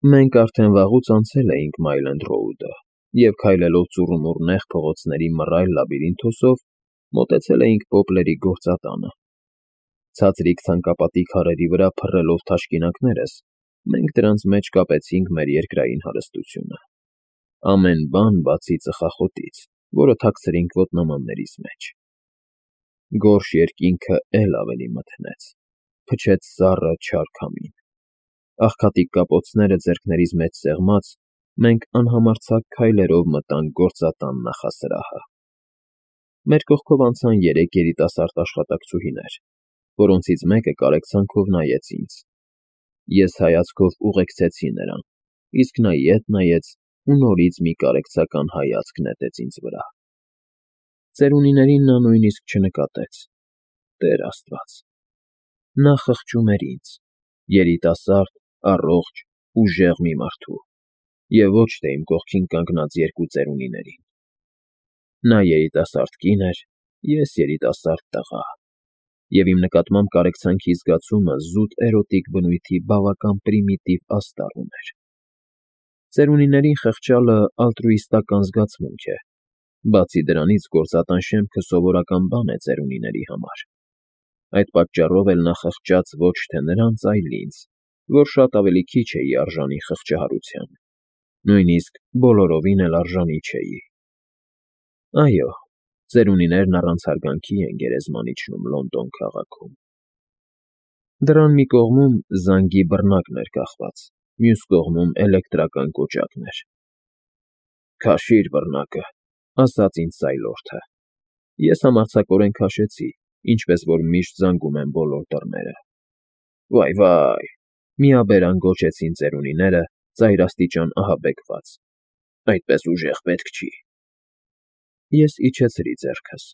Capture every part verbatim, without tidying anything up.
Մենք արդեն վաղուց անցել էինք Մայլենդ Ռոուդը և քայլելով ծուռումուռ նեղ փողոցների մռայլ լաբիրինթոսով մոտեցել էինք Պոպլերի գործատանը. ցածրիկ ցանկապատի քարերի վրա փռելով թաշկինակներս, մենք դրանց մեջ կապեցինք մեր երկրային հարստությունը, ամեն բան, բացի ծխախոտից, որը թաքցրինք ոտնամաններիս մեջ։ Գորշ երկինքը էլ ավելի մթնեց, փչեց սառը չար քամին։ Աղքատիկ կապոցները ձեռքներիս մեջ սեղմած, մենք անհամարձակ քայլերով մտանք գործատան նախասրահը։ Մեր կողքով անցան երեք երիտասարդ աշխատակցուհիներ, որոնցից մեկը կարեկցանքով նայեց ինձ։ Ես հայացքով ուղեկցեցի նրան, իսկ նա ետ նայեց ու նորից մի կարեկցական հայացք նետեց ինձ վրա։ Ծերունիներին նա նույնիսկ չնկատեց։ Տեր Աստված… Նա խղճում էր ինձ՝ երիտասարդ, առողջ, ուժեղ մի մարդու, և ոչ թե իմ կողքին կանգնած երկու ծերունիներին։ Նա երիտասարդ կին էր, ես երիտասարդ տղա, և իմ նկատմամբ կարեկցանքի զգացումը զուտ էրոտիկ բնույթի բավական պրիմիտիվ աստառ ուներ։ Ծերունիներին խղճալը ալտրուիստական զգացմունք է, բացի դրանից գործատան շեմքը սովորական բան է ծերունիների համար։ Այդ պատճառով էլ նա խղճաց ոչ թե նրանց, այլ ինձ, որ շատ ավելի քիչ էի արժանի խղճահարության, նույնիսկ բոլորովին էլ արժանի չէի։ Այո, ծերունիներն առանց հարգանքի են գերեզման իջնում Լոնդոն քաղաքում։ Դռան մի կողմում զանգի բռնակն էր կախված, մյուս կողմում էլեկտրական կոճակներ։ «Քաշիր բռնակը», ասաց ինձ Սայլորթը։ Ես համարձակորեն քաշեցի, ինչպես որ միշտ զանգում են բոլոր դռները։ «Վայ, վայ», միաբերան գոչեցին ծերունիները, ծայրաստիճան ահաբեկված, «այդպես ուժեղ պետք չի»։ Ես իջեցրի ձեռքս։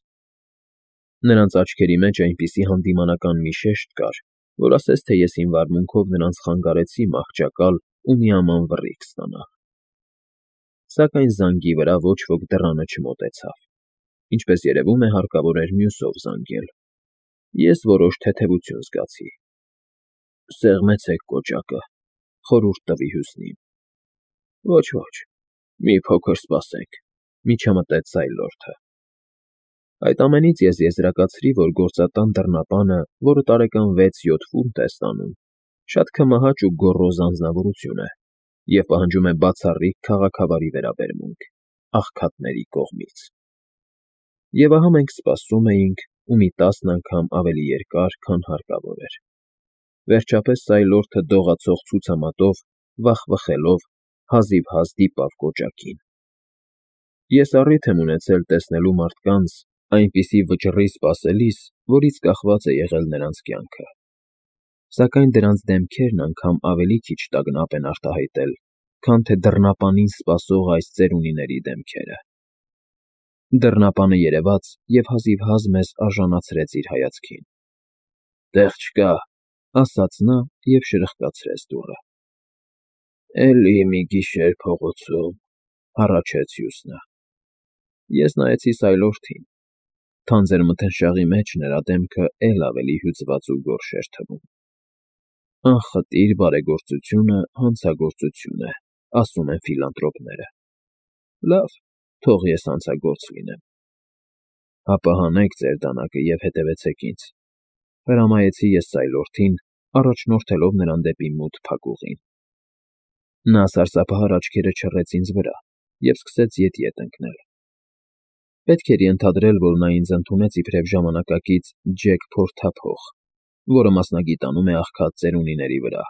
Նրանց աչքերի մեջ այնպիսի հանդիմանական մի շեշտ կար, որ ասես թե ես իմ վարմունքով նրանց խանգարեցի մահճակալ ու միաման վռիթ ստանալ։ Սակայն զանգի վրա ոչ ոք դռանը չմոտեցավ։ Ինչպես երևում է, հարկավոր էր մյուսով զանգել։ Ես որոշ թեթևություն զգացի։ «Սեղմեցեք կոճակը», խորհուրդ տվի Հյուսնին։ «Ոչ, ոչ, մի փոքր սպասեք», միջամտեց Սայլորթը։ Այդ ամենից ես եզրակացրի, որ գործատան դռնապանը, որը տարեկան վեց֊յոթ ֆունտ է ստանում, շատ քմահաճ ու գոռոզ անձնավորություն է և պահանջում է բացառիկ քաղաքավարի վերաբերմունք աղքատների կողմից։ Եվ ահա մենք սպասում էինք, ու մի տասն անգամ ավելի երկար, քան հարկավոր էր։ Վերջապես Սայլորթը դողացող ցուցամատով, վախվխելով, հազիվհազ դիպավ կոճակին։ Ես առիթ եմ ունեցել տեսնելու մարդկանց այնպիսի վճռի սպասելիս, որից կախված է եղել նրանց կյանքը։ Սակայն դրանց դեմքերն անգամ ավելի քիչ տագնապ են արտահայտել, քան թե դռնապանին սպասող այս ծերունիների դեմքերը։ Դռնապանը երևաց և հազիվհազ մեզ արժանացրեց իր հայացքին։ «Տեղ չկա», ասաց նա և շրխկացրեց դուռը։ «Էլի մի գիշեր փողոցում», հառաչեց Հյուսնը։ Ես նայեցի Սայլորթին։ Թանձր մթնշաղի մեջ նրա դեմքը էլ ավելի հյուծված ու գորշ էր թվում։ Անխտիր բարեգործությունը հանցագործություն է, ասում են ֆիլանտրոպները։ Լավ, թող ես հանցագործ լինեմ։ Հապա հանեք ձեր դանակը և հետևեցեք ինձ, հրամայեցի ես Սայլորթին, առաջնորդելով նրան դեպի մութ փակուղին։ Նա սարսափահար աչքերը չռեց ինձ վրա և սկսեց ետ֊ետ ընկնել։ Պետք էր ենթադրել, որ նա ինձ ընդունեց իբրև ժամանակակից Ջեք Փորթափող, որը մասնագիտանում է աղքատ ծերունիների վրա,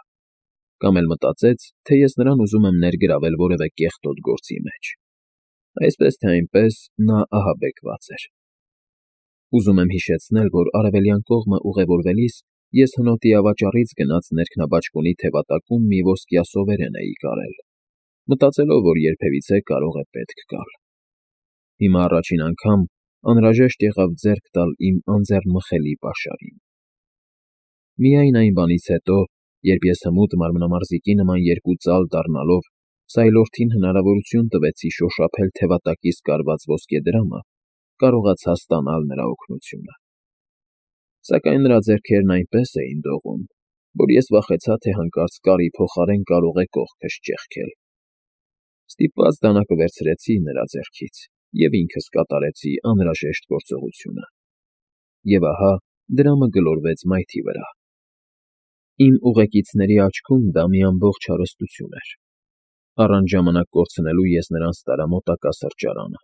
կամ էլ մտածեց, թե ես նրան ուզում եմ ներգրավել որևէ կեղտոտ գործի մեջ։ Այսպես թե այնպես, նա ահաբեկված էր։ Ուզում եմ հիշեցնել, որ արևելյան կողմը ուղևորվելիս ես հնոտի ավաճառից գնած ներքնաբաճկոնի թևատակում մի ոսկյա սովերեն էի կարել, մտածելով, որ երբևիցե կարող է պետք գալ։ Հիմա առաջին անգամ անհրաժեշտ եղավ ձեռք տալ իմ անձեռնմխելի պաշարին։ Միայն այն բանից հետո, երբ ես հմուտ մարմնամարզիկի նման երկու ծալ դառնալով Սայլորթին հնարավորություն տվեցի շոշափել թևատակիս կարված ոսկեդրամը, կարողացա ստանալ նրա օգնությունը։ Սակայն նրա ձեռքերն այնպես էին դողում, որ ես վախեցա, թե հանկարծ կարի փոխարեն կարող է կողքս ճեղքել։ Ստիպված դանակը վերցրեցի նրա ձեռքից և ինքս կատարեցի անհրաժեշտ գործողությունը։ Եվ ահա դրամը գլորվեց մայթի վրա։ Իմ ուղեկիցների աչքում դա մի ամբողջ հարստություն էր։ Առանց ժամանակ կորցնելու ես նրանց տարա մոտակա սրճարանը։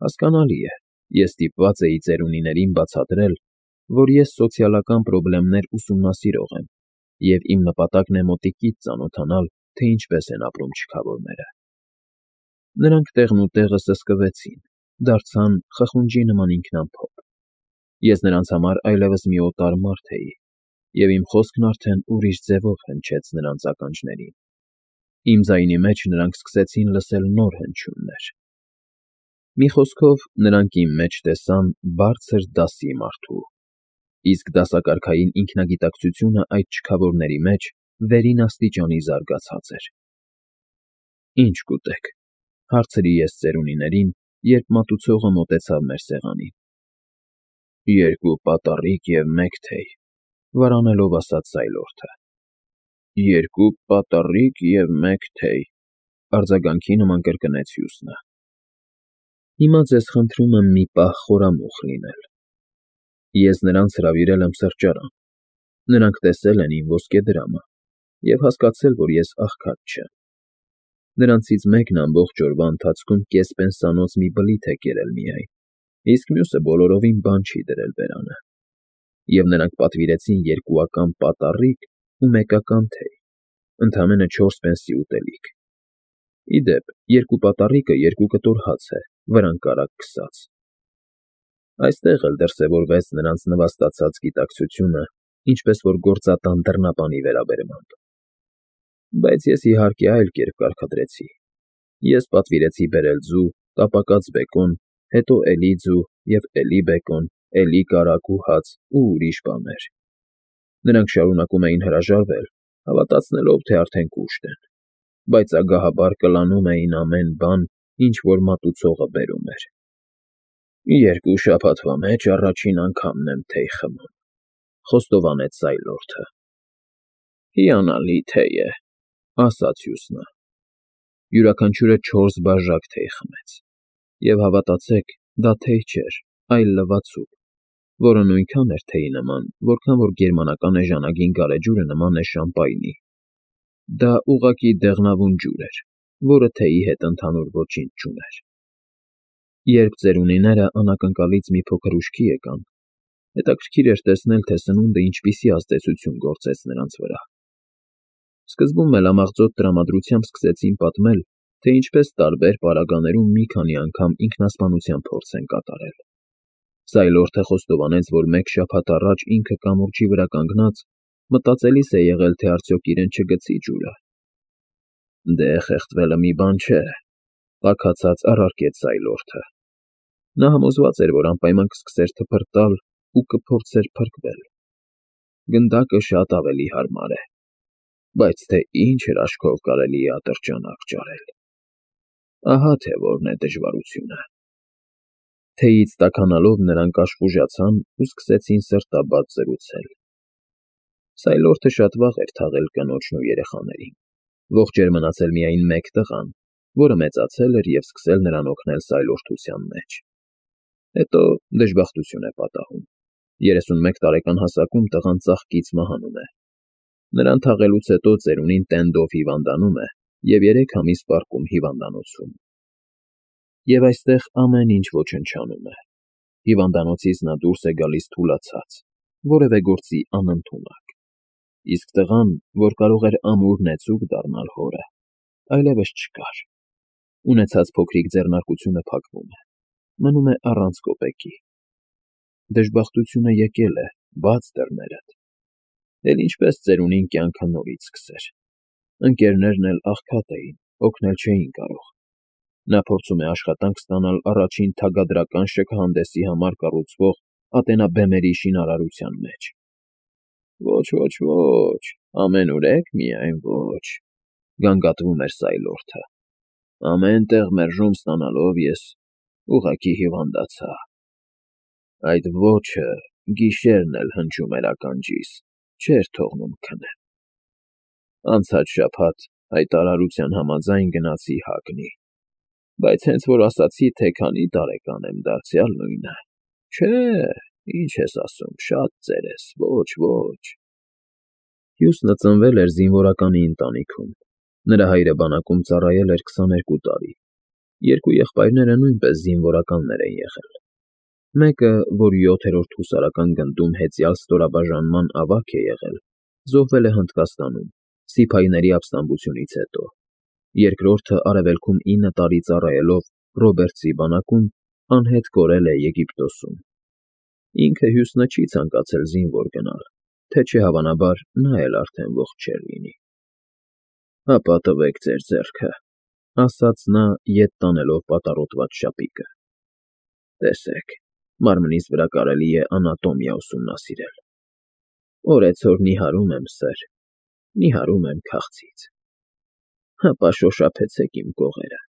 Հասկանալի է, ես ստիպված էի ծերունիներին բացատրել, որ ես սոցիալական պրոբլեմներ ուսումնասիրող եմ, և իմ նպատակն է մոտիկից ծանոթանալ, թե ինչպես են ապրում չքավորները։ Նրանք տեղնուտեղը սսկվեցին, դարձան խխունջի նման ինքնամփոփ։ Ես նրանց համար այլևս մի օտար մարդ էի, և իմ խոսքն արդեն ուրիշ ձևով հնչեց նրանց ականջներին։ Իմ ձայնի մեջ նրանք սկսեցին լսել նոր հնչյուններ։ Մի խոսքով, նրանք իմ մեջ տեսան բարձր դասի մարդու, իսկ դասակարգային ինքնագիտակցությունը այդ չքավորների մեջ վերին աստիճանի զարգացած էր։ «Ի՞նչ կուտեք», հարցրի ես ծերունիներին, երբ մատուցողը մոտեցավ մեր սեղանին։ «Երկու պատառիկ և մեկ թեյ», վարանելով ասաց Սայլորթը։ «Երկու պատառիկ և մեկ թեյ», արձագանքի նման կրկնեց մյուսը։ Հիմա ձեզ խնդրում եմ մի պահ խորամուխ լինել։ Ես նրանց հրավիրել եմ սրճարան։ Նրանք տեսել են իմ ոսկե դրամը և հասկացել, որ ես աղքատ չեմ։ Նրանցից մեկն ամբողջ օրվա ընթացքում կես պենսանոց մի բլիթ է կերել միայն, իսկ մյուսը բոլորովին բան չի դրել բերանը։ Եվ նրանք պատվիրեցին երկուական պատառիկ ու մեկական թեյ, ընդամենը չորս պենսի ուտելիք։ Ի դեպ, երկու պատառիկը երկու կտոր հաց է, վրան կարագ քսած։ Այստեղ էլ դրսևորվեց նրանց նվաստացած գիտակցությունը, ինչպես որ գործատան դռնապանի վերաբերմամբ։ Բայց ես, իհարկե, այլ կերպ կարգադրեցի։ Ես պատվիրեցի բերել ձու, տապակած բեկոն, հետո էլի ձու և էլի բեկոն, էլի կարագ ու հաց ու ուրիշ բաներ։ Նրանք շարունակում էին հրաժարվել, հավատացնելով, թե արդեն կուշտ են, բայց ագահաբար կլանում էին ամեն բան, ինչ որ մատուցողը բերում էր։ «Երկու շաբաթվա մեջ առաջին անգամն եմ թեյ խմում», խոստովանեց Սայլորթը։ «Հիանալի թեյ է», ասաց մյուսը։ Յուրաքանչյուրը չորս բաժակ թեյ խմեց, և հավատացեք, դա թեյ չէր, այլ լվացուկ, որը նույնքան էր թեյի նման, որքան որ գերմանական էժանագին գարեջուրը նման է շամպայնի։ Դա ուղղակի դեղնավուն ջուր էր, որը թեյի հետ ընդհանուր ոչինչ չուներ։ Երբ ծերունիները անակնկալից մի փոքր ուշքի եկան, հետաքրքիր էր տեսնել, թե սնունդը ինչպիսի ազդեցություն գործեց նրանց վրա։ Սկզբում մելամաղձոտ տրամադրությամբ սկսեցին պատմել, թե ինչպես տարբեր պարագաներում մի քանի անգամ ինքնասպանության փորձ են կատարել։ Սայլորթը խոստովանեց, որ մեկ շաբաթ առաջ ինքը կամուրջի վրա կանգնած մտածելիս է եղել, թե արդյոք իրեն չգցի ջուրը։ «Դե, խեղդվելը մի բան չէ», տաքացած առարկեց Սայլորթը։ Նա համոզված էր, որ անպայման կսկսեր թփրտալ ու կփորձեր փրկվել։ Գնդակը շատ ավելի հարմար է, բայց թե ինչ հրաշքով կարելի է ատրճանակ ճարել։ Ահա թե որն է դժվարությունը։ Թեյից տաքանալով նրանք աշխուժացան ու սկսեցին սրտաբաց զրուցել։ Սայլորթը շատ վաղ էր թաղել կնոջն ու երեխաներին։ Ողջ էր մնացել միայն մեկ տղան, որը մեծացել էր և սկսել նրան օգնել սայլորթության մեջ։ Հետո դժբախտություն է պատահում։ երեսունմեկ տարեկան հասակում տղան ծաղկից մահանում է։ Նրան թաղելուց հետո ծերունին տենդով հիվանդանում է և երեք ամիս պառկում հիվանդանոցում։ Եվ այստեղ ամեն ինչ ոչնչանում է։ Հիվանդանոցից նա դուրս է գալիս թուլացած, որևէ գործի անընդունակ։ Իսկ տղան, որ կարող էր ամուր նեցուկ դառնալ հորը, այլևս չկար։ Ունեցած փոքրիկ ձեռնարկությունը փակվում է, մնում է առանց կոպեկի։ Դժբախտությունը եկել է, բաց դռներդ։ Էլ ինչպես ծերունին կյանքը նորից սկսեր։ Ընկերներն էլ աղքատ էին, օգնել չէին կարող։ Նա փորձում է աշխատանք ստանալ առաջին թագադրական շքահանդեսի համար կառուցվող ատենաբեմերի շինարարության մեջ։ «Ոչ, ոչ, ոչ, ամենուրեք միայն ոչ», գանգատվում էր Սայլորթը։ «Ամեն տեղ մերժում ստանալով ես ուղղակի հիվանդացա»։ Այդ ոչը գիշերն էլ հնչում էր ականջիս։ չէր թողնում քնեմ։ Անցած շաբաթ հայտարարության համաձայն գնացի Հագնի, բայց հենց որ ասացի, թե քանի տարեկան եմ, դարձյալ նույնը։ Չէ, ինչ ես ասում, շատ ծեր ես, ոչ, ոչ։ Հյուսնը ծնվել էր զինվորականի ընտանիքում։ Նրա հայրը բանակում ծառայել էր քսաներկու տարի։ Երկու եղբայրները նույնպես զինվորականներ են եղել։ Մեկը, որ յոթերորդ հուսարական գնդում հեծյալ ստորաբաժանման ավագ է եղել, զոհվել է Հնդկաստանում, սիփայիների ապստամբությունից հետո։ Երկրորդը արևելքում ինը տարի ծառայելով Ռոբերտսի բանակում անհետ կորել է Եգիպտոսում։ Ինքը Հյուսնը չի ցանկացել զինվոր գնալ, թե չէ հավանաբար նա էլ արդեն ողջ չէր լինի։ Հապա տվեք ձեր ձեռքը, ասաց նա, ետ տանելով պատառոտված շապիկը։ Տեսեք, մարմնիս վրա կարելի է անատոմիա ուսումնասիրել։ Օրեցօր նիհարում եմ, սըր, նիհարում եմ քաղցից։ Հապա շոշափեցեք իմ կողերը։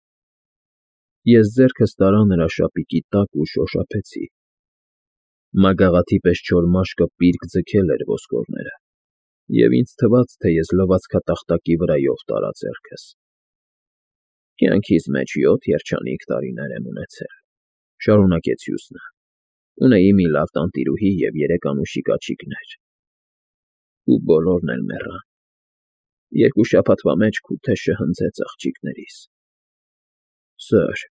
Ես ձեռքս տարա նրա շապիկի տակ ու շոշափեցի։ Մագաղաթի պես չոր մաշկը պիրկ ձգել էր ոսկորները, և ինձ թվաց, թե ես լվացքատախտակի վրայով տարա ձեռքս։ Կյանքիս մեջ յոթ երջանիկ տարիներ եմ ունեցել, շարունակեց Հյուսնը, ունեի մի լավ տանտիրուհի և երեք անուշիկ աղջիկներ։ Ու բոլորն էլ մեռան։ Երկու շաբաթվա մեջ Քութեշը հնձեց աղջիկներիս։ Սըր,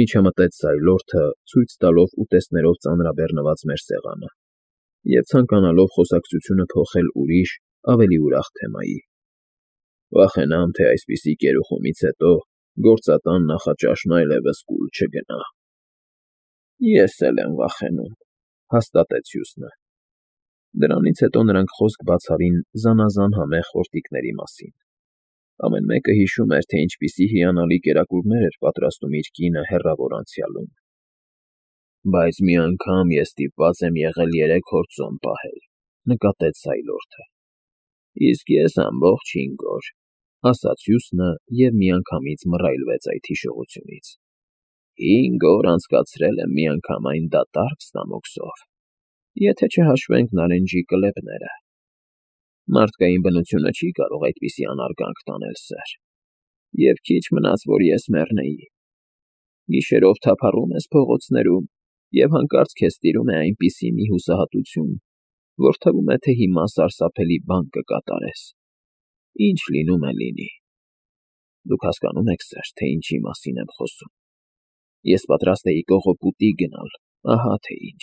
միջամտեց Սայլորթը, ցույց տալով ուտեստներով ծանրաբեռնված մեր սեղանը, և ցանկանալով խոսակցությունը փոխել ուրիշ, ավելի ուրախ թեմայի։ Վախենամ, թե այսպիսի կերուխումից հետո գործատան նախաճաշն այլևս կուլ չգնա։ Ես էլ եմ վախենում, հաստատեց Հյուսնը։ Դրանից հետո նրանք խոսք բացառին զանազան համեղ խորտիկների մասին։ Ամեն մեկը հիշում էր, թե ինչպիսի հիանալի կերակուրներ էր պատրաստում իր կինը հեռավոր անցյալում։ Բայց մի անգամ ես ստիպված եմ եղել երեք օր ծոմ պահել, նկատեց Սայլորթը։ Իսկ ես ամբողջ հինգ օր, ասաց Հյուսնը և միանգամից մռայլվեց այդ հիշողությունից։ Հինգ օր անցկացրել եմ միանգամայն դատարկ ստամոքսով, եթե չհաշվենք նարնջի կլեպները։ Մարդկային բնությունը չի կարող այդպիսի անարգանք տանել, սըր, և քիչ մնաց, որ ես մեռնեի։ Գիշերով թափառում ես փողոցներում, և հանկարծ քեզ տիրում է այնպիսի մի հուսահատություն, որ թվում է, թե հիմա սարսափելի բան կկատարես։ Ինչ լինում է, լինի։ Դուք հասկանո՞ւմ եք, սըր, թե ինչի մասին եմ խոսում։ Ես պատրաստ էի կողոպուտի գնալ, ահա թե ինչ։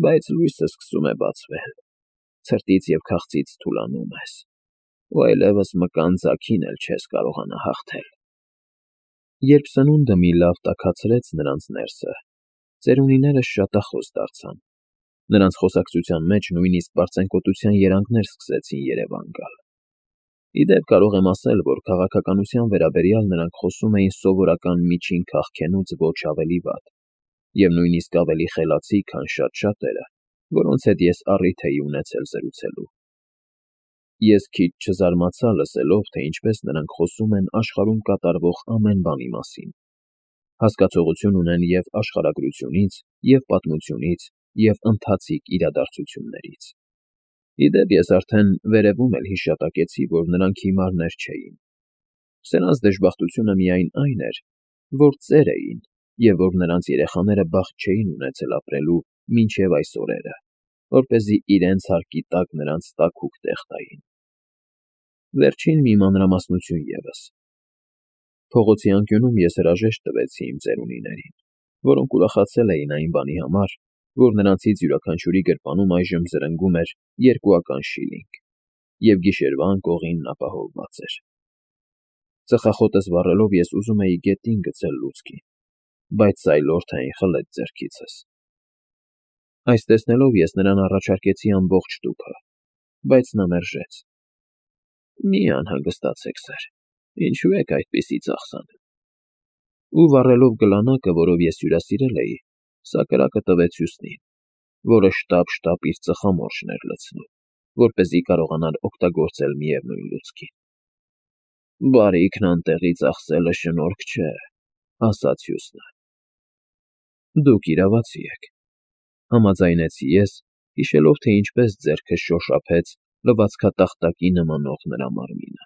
Բայց լույսը սկսում է բացվել, ցրտից և քաղցից թուլանում ես, ու այլևս մկան ձագին էլ չես կարողանա հաղթել։ Երբ սնունդը մի լավ տաքացրեց նրանց ներսը, ծերունիները շատախոս դարձան։ Նրանց խոսակցության մեջ նույնիսկ պարծենկոտության երանգներ սկսեցին երևան գալ։ Ի դեպ, կարող եմ ասել, որ քաղաքականության վերաբերյալ նրանք խոսում էին սովորական միջին քաղքենուց ոչ ավելի վատ, և նույնիսկ ավելի խելացի, քան շատ շատերը, որոնց հետ ես առիթ էի ունեցել զրուցելու։ Ես քիչ չզարմացա լսելով, թե ինչպես նրանք խոսում են աշխարհում կատարվող ամեն բանի մասին։ Հասկացողություն ունեն և աշխարհագրությունից, և պատմությունից, և ընթացիկ իրադարձություններից։ Ի դեպ, ես արդեն վերևում էլ հիշատակեցի, որ նրանք հիմարներ չէին։ Սրանց դժբախտությունը միայն այն էր, որ ծեր էին, և որ նրանց երեխաները բախտ չէին ունեցել ապրելու մինչև այս օրերը, որպեսզի իրենց հարկի տակ նրանց տաքուկ տեղ տային։ Վերջին մի մանրամասնություն ևս. փողոցի անկյունում ես հրաժեշտ տվեցի իմ ծերունիներին, որոնք ուրախացել էին այն բանի համար, որ նրանցից յուրաքանչյուրի գրպանում այժմ զրնգում էր երկուական շիլինգ, և գիշերվա անկողինն ապահովված էր։ Ծխախոտս վառելով ես ուզում էի գետին գցել լուցկի, բայց Սայլորթը այն խլեց ձեռքիցս։ Այս տեսնելով ես նրան առաջարկեցի ամբողջ տուփը, բայց նա մերժեց։ Մի անհանգստացեք, սըր, ինչու եք այդպիսի ծախսանում։ Ու վառելով գլանակը, որով ես հյուրասիրել էի, սա կրակը տվեց Հյուսնին, որը շտապ֊շտապ իր ծխամորճն էր լցնում, որպեսզի կարողանար օգտագործել միևնույն լուցկին։ Բարիքն անտեղի ծախսելը շնորհք չէ, ասաց Հյուսնը։ Դուք իրավացի եք, համաձայնեցի ես հիշելով, թե ինչպես ձեռքս շոշափեց լվացքատախտակի նմանող նրա մարմինը։